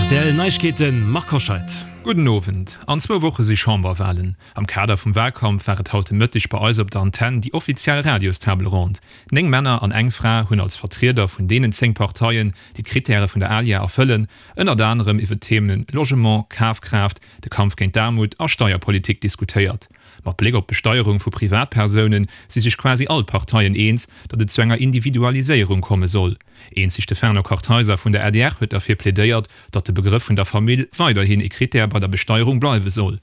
Rtl Neiegkeeten, Marc Hoscheid. Gudden Owend. An zwou Woche si Chamberwalen. Am Kader vum Walkampf war et haut de Mëtteg bei eis op der Antenn déi offiziell Radios-Table Ronde. 9 Männer an eng Fra hunn als Vertrieder vun deenen 10 Parteien, déi d'Krittäre vun der ALIA erfëllen, ënnert anerem iwwe d'Themen Logement, Kafkraaft, de Kampf géint d'Aarmut a Steierpolitik diskutéiert. Mat Bléck op d'Besteierung vu Privatpersoune si sech quasi all d'Parteien eens, datt et zu enger Individualiséierung komme soll. Eenzeg de Fernand Kartheiser vun der adr huet derfir plädéiert, datt de Begrëff vun der Famill weiderhin ee Krittär bei der Besteierung bleiwe soll.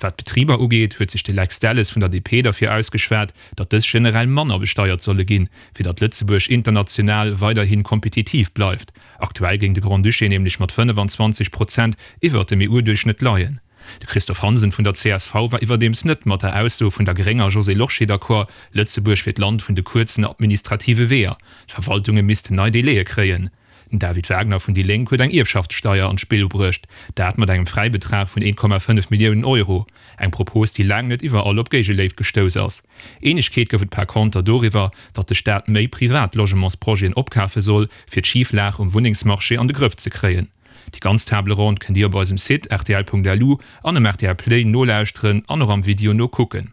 Wat d'Betriber ugeet, huet sech de Lex Delles vun der DP derfir ausgeschwat, datt dës generell manner besteiert solle ginn, fir datt Lëtzebuerg international weiderhi kompetitiv bleift. Aktuell géing de Grand-Duché nämlech mat 25 Prozent iwwert dem EU-Duerchschnëtt leien. De Christophe Hansen vun der csv war iwwerdeems net mat der Ausso vun der grénger Josée Lorsché d'accord, Lëtzebuerg wier d'Land vun de kuerzen administrative Weeër, d'Verwaltunge missten nei Délaië kréien. Den David Wagner vun déi Lénk huet eng Ierfschaftssteier an d'Spill bruecht, dat mat engem Fräibetrag vun 1,5 Milliounen Euro. Eng Propos, déi laang net iwwerall op Géigeléift gestouss ass. Eenegkeet gouf et par conter doriwwer, datt de Staat méi privat Logementsprojeten opkafe soll, fir d'Schiflag um Wunnengsmarché an de Grëff ze kréien. Déi ganz Table Ronde kënnt Dir op eisem Site rtl.lu an um rtl Play nolauschteren an och am Video nokucken.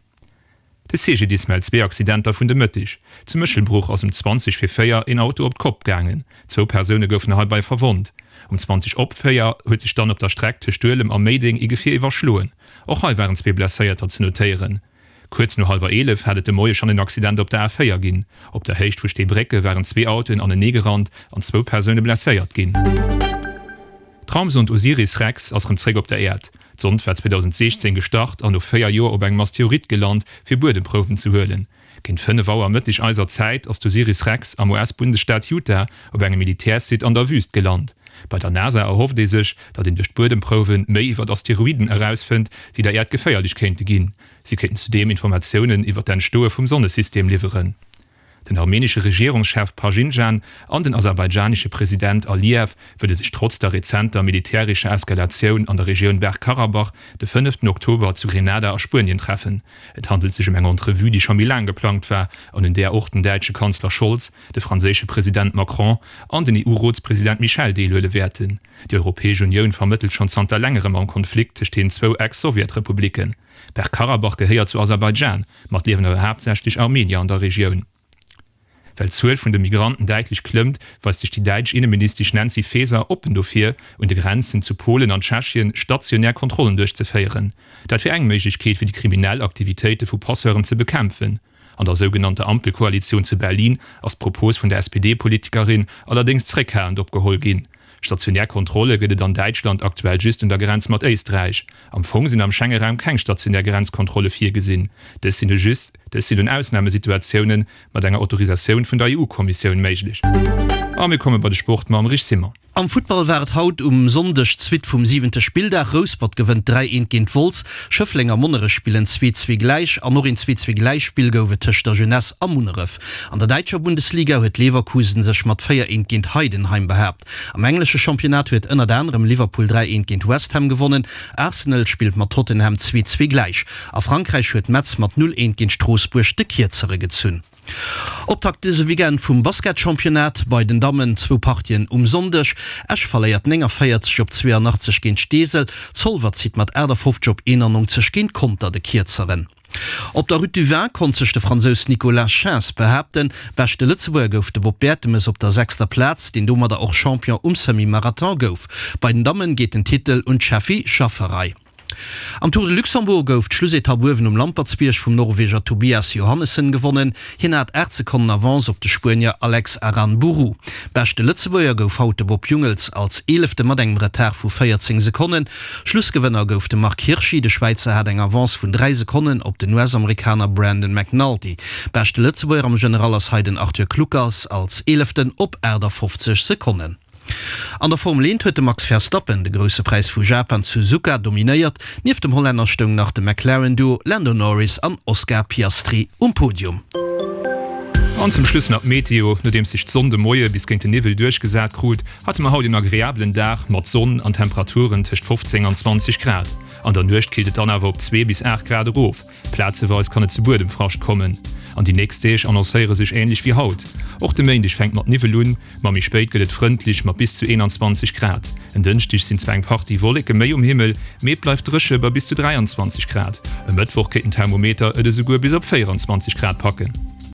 De CGDIS mellt zwee Accidenter vun de Mëtteg. Zu Méchelbruch ass um 20 vir 4 een Auto op d'Kopp gaangen. Zwou Persoune goufen heibei verwonnt. Um 20 op 4 huet sech dann op der Streck tëscht Duelem a Méideng ee Gefier iwwerschloen. Och hei waren zwee Blesséierter ze notéieren. Kuerz no hallwer 11 hat et de Moie schonn en Accident op der A4 ginn. Op der Héicht vu Steebrécke waren zwee Autoen anenee gerannt an zwou Persoune blesséiert ginn. D'Raumsond Osiris-Rex ass rëm zréck op der Äerd. D'Sond war 2016 gestart an no 4 Joer op engem Asteroid gelant, fir Buedemprouwen ze huelen. Géint 5 Auer Mëtteg eiser Zäit ass d'Osiris-Rex am US-Bundesstaat Utah op engem Militärsite an der Wüüst gelant. Bei der NASA erhofft ee sech, datt een duerch d'Buedemprouwe méi iwwer Asteroiden erausfënnt, déi der Äerd geféierlech kéinte ginn. Si kéinten zudeem Informatiounen iwwer d'Entstoe vum Sonnesystem liwweren. Den armenesche Regierungschef Paschinjan an den aserbaidschanesche President Aliyev wëlle sech trotz der rezenter militärescher Eskalatioun an der Regioun Bergkarabach de fënneften Oktober zu Grenada a Spuenien treffen. Et handelt sech ëm eng Entrevue, déi scho méi laang geplangt war an un där och den däitsche Kanzler Scholz, de franséische President Macron an den EU-Rotspresident Michel deelhuele wäerten. Déi Europäesch Unioun vermëttelt schonn zanter längerem am Konflikt tëscht den zwou Ex-Sowjetrepublicken. Bergkarabach gehéiert zu Aserbaidschan, ma et liewen awer haaptsächlech Armenier an der Regioun. Well d'Zuel vun de Migranten däitlech klëmmt, weist sech déi däitsch Inneministesch Nancy Faeser oppen dofir, un de Grenzen zu Polen an Tschechien stationär Kontrollen duerchzeféieren. Dat wier eng Méiglechkeet, fir déi kriminell Aktivitéite vu Passeuren ze bekämpfen. An der sougenannter Ampelkoalitioun zu Berlin ass d'Propos vun der SPD-Politikerin allerdéngs zréckhalend opgeholl ginn. Stationär Kontrolle gëtt et an Däitschland aktuell just un der Grenz mat Éisträich. Am Fong sinn am Schengeraum keng stationär Grenzkontrolle virgesinn. Dës sinn u just dës sinn un Ausnamesituatioune mat enger Autorisatioun vun der EU-Kommissioun méiglech. A mir komme bei de Sport mam Rich Simon. Am Futtball war et haut um Sonndeg d'Suite vum siwente Spilldag. Rouspert gewënnt 3, 1 géint Wolz, Schëffleng a Monnerech spillen 2, 2 gläich an och een 2, 2 Gläichspill gouf et tëscht der Jeunesse a Munneref. An der däitscher Bundesliga huet Leverkusen sech mat 4, 1 géint Heidenheim behaapt. Am englesche Championnat huet ënnert anerem Liverpool 3, 1 géint West Ham gewonnen. Arsenal spillt mat Tottenham 2, 2 gläich. A Frankräich huet Metz mat 0, 1 géint Stroossbuerg de Kierzere gezunn. Optakt dëse Weekend vum Basketchampionnat, bei den Dammen zwou Partien um Sonndeg. Esch verléiert 49 op 82 géint Steesel, Zolwer zitt mat 58 op 91 géint Conter de Kierzeren. Op der Route du Vin konnt sech de Fransous Nicolas Schins behaapten. Beschte Lëtzebuerger gouf de Bob Bertemes op der sechster Plaz, deen domadder och Champion um Semi-Marathon gouf. Bei den Dammen geet den Titel un d'Sheffy Schafferei. Am Tour de Luxembourg gouf d'Schlussetapp uewen um Lampertsbierg vum Norweger Tobias Johannessen gewonnen. Hien hat 8 Sekonnen Avance op de Spuenier Alex Aranburu. Beschte Lëtzebuerger gouf haut de Bob Jungels als Eelefte mat engem Retard vu 14 Sekonnen. Schlussgewënner gouf de Marc Hirschi. De Schwäizer hat eng Avance vun 3 Sekonnen op den US-Amerikaner Brandon McNulty. Beschte Lëtzebuerger am General ass hei den Arthur Kluckers als Eeleften op 58 Sekonnen. An der Formel 1 huet de Max Verstappen de Grousse Präis vu Japan zu Suzuka dominéiert. Nieft dem Hollänner stoung nach de McLaren-Duo Lando Norris an Oscar Piastri um Podium. An zum Schluss nach d'Meteo, Nodeems sech d'Sonn de Moie bis géint de Niwwel duerchgesat krut, hate mer haut een agreabelen Dag mat Sonn an Temperaturen tëscht 15 an 20 Grad. An der Nuecht killt et dann awer op 2 bis 8 Grad erof. Plazeweis kann et zu Buedemfrascht kommen. An déi nächst Deeg annoncéiere sech änlech wéi haut. Och de Méindeg fänkt mat Niwwel un, ma méi spéit gëtt et frëndlech mat bis zu 21 Grad. En Dënschdeg sinn zwar eng Partie Wolleke méi um Himmel, mee et bleift dréche bei bis zu 23 Grad. E Mëttwoch kéint den Thermometer et esouguer bis op 24 Grad packen.